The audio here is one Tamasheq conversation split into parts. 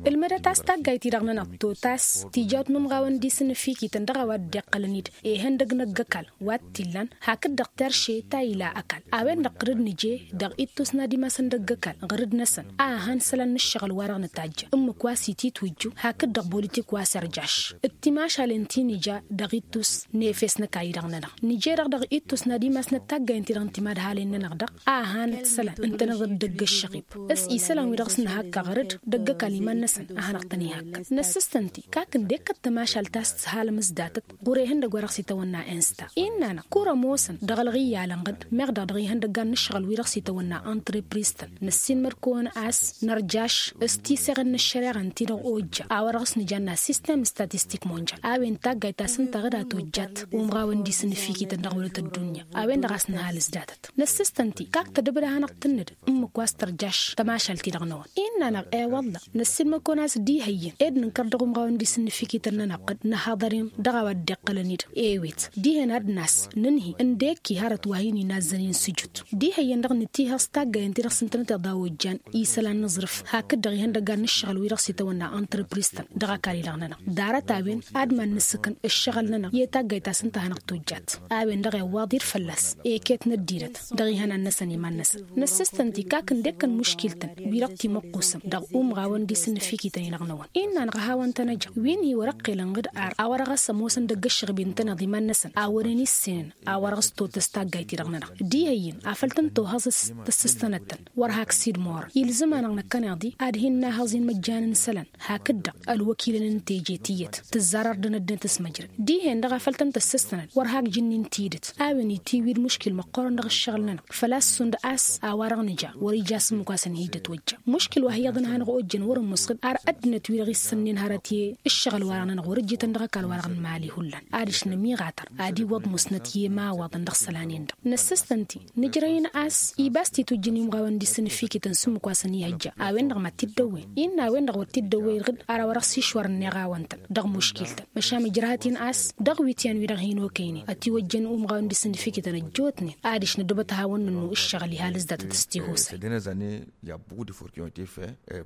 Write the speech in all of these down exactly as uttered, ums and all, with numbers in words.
Ălmădăt a-s taggayt-i-dăɣ-nănăɣ totas tijawt n-umɣawăn d-isǝnnǝfikităn dăɣ-a-wa dd-iqqălăn-dd, ihăndăg n-ăgg-ăkall wa t-illan hakd-dăɣ terše ta ila ăkall a-wen-dăɣ ɣǝr-dd nǝje dăɣ-ittus n-ad-imasăn d-ăgg-ăkall ɣǝr-dd-năsăn a ăhan isălan n-ǝššăɣǝl-wa-dăɣ nǝtajjăn ǝmmǝk wa s-ititwǝjju hakd-dăɣ bolitik wa s-irjaš d-timašalen ti nǝja dăɣ-ittus n-efes n-ăkall-i-dăɣ-nănăɣ. Nǝje-dăɣ dăɣ-ittus n-ad-imasnăt taggayen-ti-dăɣ n-timadhalen-nănăɣ-dăɣ a ăhan isălan ǝntăneḍ-dd ăgg-ăššăɣib s-isălan-wi-dăɣ s-nǝhakka ɣǝr-dd d-ăgg-ăkall iman-năsăn a hanăɣ-tăn-ihakka. Năssistăn-t-i kak ǝndek kăl-tamašalt ta s-tǝhalăm s-datăt ɣur-ehăndăg wa dăɣ-s itawănna insta innă-năɣ kăr-ămoosăn dăɣ-ălɣiyyalăn-ɣǝd meɣ-dăɣ dăɣ-ihăndăggan n-ǝššăɣǝl-wi-dăɣ s-itawănna antrepris-tăn năssiinmăr-kăwăn a-s nărjaš s-tiseɣen n-ăššăreɣa ǝnta-dăɣ ojja a-wa dăɣ-s nǝja n-assistem statistik monjal a-wen taggayt ta s-ǝnta ɣǝd a tojjat umɣawăn d-isǝnnǝfikităn dăɣ-wălăt ăddunya a-wen-dăɣ a-s nǝhal s-datăt. Năssistăn-t-i kak tădǝbǝd a hanăɣ-tǝnnǝd ǝmmǝk wa s-tărjaš tămašalt-i-dăɣ-năwăn innă-năɣ i-wălla năssiinmăr-kăwăn a-s d-ihăyyăn ed nǝnkăr dăɣ-umɣawăn d-isǝnnǝfikităn-nănăɣ-dd nǝhaḍăr-in dăɣ-a-wa dd-iqqălăn-dd ewet dihen ad-nas nǝnhǝy ǝndek-i hărăt wa hin-inazzăn-in s-ǝjut d-ihăyyăn-dăɣ nǝtihăẓ taggayen-ti-dăɣ s-ǝntănăteḍ a ojjan isălan n-aẓrǝf hakd-dăɣ ihăndăggan n-ǝššăɣǝl-wi-dăɣ s-itawănna antrepris-tăn dăɣ-ăkall-i-dăɣ-nănăɣ. Ḍarăt a-wen ad-iman-nǝssǝkăn ǝššăɣǝl-nănăɣ i-taggayt ta s-ǝnta a hanăɣ-tojjat a-wen-dăɣ iwwaḍ irfălla-s eket n-ăddinăt dăɣ-ihănan-năsăn iman-năsăn. Năssistăn-t-i kak ǝndek-kăn muškil-tăn wi-dăɣ timăqqusăm dăɣ-umɣawăn d-isǝnnǝfikităn-i-dăɣ-năwăn innă-năɣ a hawăn-tăn-ăjăɣ wi n-hi-wăr-ăqqelăn ɣǝd ar a-wa dăɣ-s ămoosăn dăgg-ǝššăɣb-i ǝntăneḍ iman-năsăn a wăren issenen a-wa dăɣ-s totăs taggayt-i-dăɣ-nănăɣ. Diha iyyăn afăl tăn-tohăẓ s-tăssǝstănăt-tăn wăr hak sidmorăn ilzǝm-anăɣ năkkăneḍ-i ad-hin-nahăẓ inmăjjan n-isălan hakd-dăɣ ălwăkilăn n-teje tiyyăt tǝzzar ărdăn ăddinăt s-măjrăd. Dihen-dăɣ afăl tăn-tăssǝstănăt wăr hak jǝnnin tidǝt a-wen itiwǝy d-muškil măqqoorăn dăɣ-ǝššăɣǝl-nănăɣ făl-a-s šund a-s a-wa-dăɣ nǝja wăr-ija s-ǝmmǝk-asăn hi-dd-ătwăjja. Muškil wa hi-iyyăḍ n-hanăɣ-ojjăn wăr-ămoos ɣǝd ar ăddinăt-wi-dăɣ issănnen hărăt i-ǝššăɣǝl-wa-dăɣ-nănăɣ wăr-ǝjjǝtăn dăɣ-ăkall-wa-dăɣ n-imali hullan adiš nămiɣatăr ad-iwwăḍ musnăt i-imawaḍăn dăɣ-isălan-in-dăɣ. Năssistăn-t-i nǝjrăy-in a-s iba a-s titwǝjjăn i-umɣawăn d-isǝnnǝfikităn s-ǝmmǝk wa săn-ihăjja a-wen-dăɣ mad-t-dd-ăwwen innă a-wen-dăɣ wăr t-dd-ăwwey ɣǝd ar a-wa dăɣ-s išwărăn iɣawăn-tăn dăɣ-muškil-tăn. Măšan ǝjrăhăt-in a-s dăɣ-wityan-wi-dăɣ hin-okăynen ătiwăjjăn umɣawăn d-isǝnnǝfikităn ăjjootnen adiš năddubăt ad-hawăn-nǝnnu ǝššăɣǝl ihal s-datăt s-tihusay.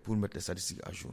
Pour mettre les statistiques à jour.